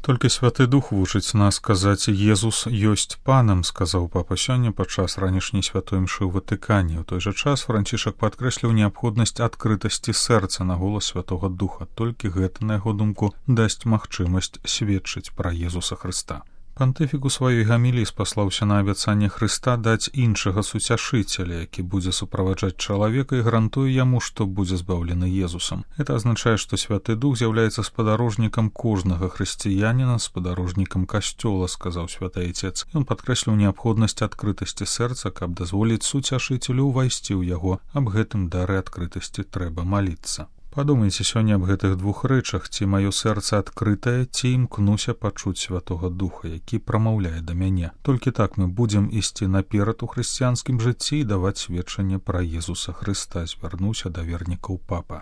Толькі Святы Дух вучыць нас казаць «Езус ёсць панам», сказаў папа сёння падчас ранішняй святой мшы ў Ватыкане. У той жа час Францішак падкрэсліў неабходнасць адкрытасці сэрца на голас Святога Духа. Толькі гэта, на яго думку, дасць магчымасць сведчыць пра Езуса Хрыста. Пантыфік у сваёй гаміліі спаслаўся на абяцанне Хрыста даць іншага суцяшыцеля, які будзе суправаджаць чалавека і гарантуе яму, што будзе збаўлены Езусам. Гэта азначае, што Святы Дух з'яўляецца спадарожнікам кожнага хрысціяніна, спадарожнікам касцёла, сказаў святы Айцец. Ён падкрэсліў неабходнасць адкрытасці сэрца, каб дазволіць суцяшыцелю ўвайсці ў яго. Аб гэтым дары адкрытасці трэба маліцца. Падумайце сёння аб гэтых двух рэчах, ці маё сэрца адкрытае, ці імкнуся пачуць Святога Духа, які прамаўляе да мяне. Толькі так мы будзем ісці наперад у хрысціянскім жыцці і даваць сведчанне пра Езуса Хрыста, звярнуўся да вернікаў папа.